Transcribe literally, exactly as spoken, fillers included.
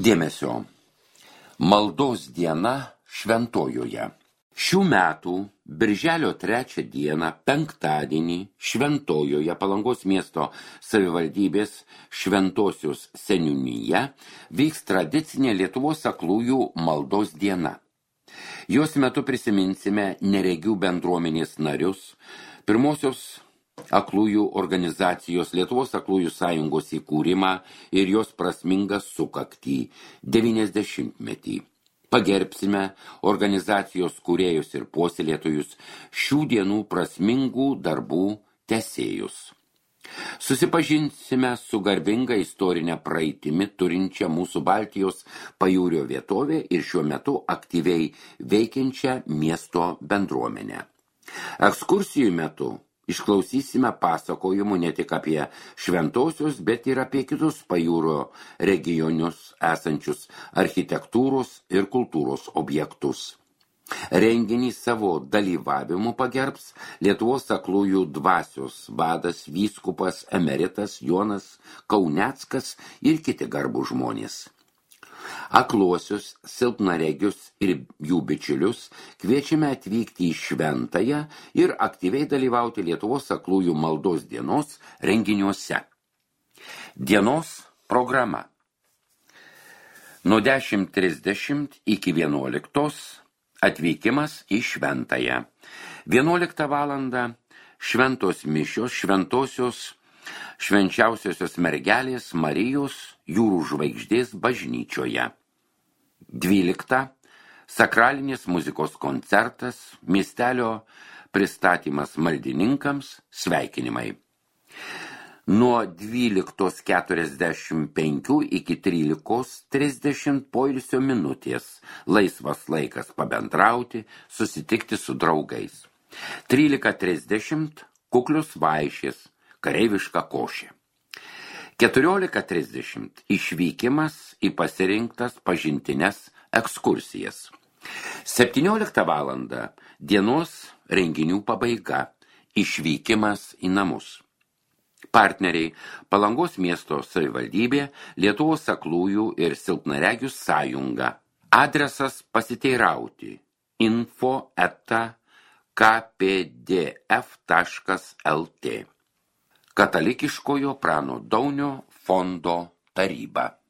Dėmesio. Maldos diena Šventojoje. Šių metų birželio trečią dieną, penktadienį, Šventojoje Palangos miesto savivaldybės Šventosios seniūnija vyks tradicinė Lietuvos aklųjų maldos diena. Jos metu prisiminsime neregių bendruomenės narius, pirmosios aklųjų organizacijos Lietuvos aklųjų sąjungos įkūrimą ir jos prasmingą sukaktį devyniasdešimtmetį. Pagerbsime organizacijos kūrėjus ir puoselėtojus, šių dienų prasmingų darbų tęsėjus. Susipažinsime su garbinga istorinė praeitimi turinčia mūsų Baltijos pajūrio vietovė ir šiuo metu aktyviai veikiančią miesto bendruomenę. Ekskursijų metu išklausysime pasakojimų ne tik apie šventosios, bet ir apie kitus pajūrio regionius esančius architektūros ir kultūros objektus. Renginį savo dalyvavimu pagerbs Lietuvos aklųjų dvasios vadas vyskupas emeritas Jonas Kauneckas ir kiti garbų žmonės. Akluosius, silpnaregius ir jų bičiulius kviečiame atvykti į Šventąją ir aktyviai dalyvauti Lietuvos aklųjų maldos dienos renginiuose. Dienos programa. Nuo dešimt trisdešimt iki vienuoliktos atvykimas į Šventąją. vienuoliktą valandą šventos mišios šventosios švenčiausiosios mergelės Marijos jūrų žvaigždės bažnyčioje. dvyliktą sakralinės muzikos koncertas, miestelio pristatymas maldininkams, sveikinimai. Nuo dvyliktos keturiasdešimt penkių iki trylikos trisdešimt poilsio minutės, laisvas laikas pabendrauti, susitikti su draugais. trylika trisdešimt kuklius vaišės, kareiviška košė. keturiolika trisdešimt išvykimas į pasirinktas pažintines ekskursijas. septynioliktą valandą dienos renginių pabaiga, išvykimas į namus. Partneriai Palangos miesto savivaldybė, Lietuvos aklųjų ir silpnaregių sąjunga. Adresas pasiteirauti info eta k p d f taškas l t. Katalikiškojo Prano Daunio fondo taryba.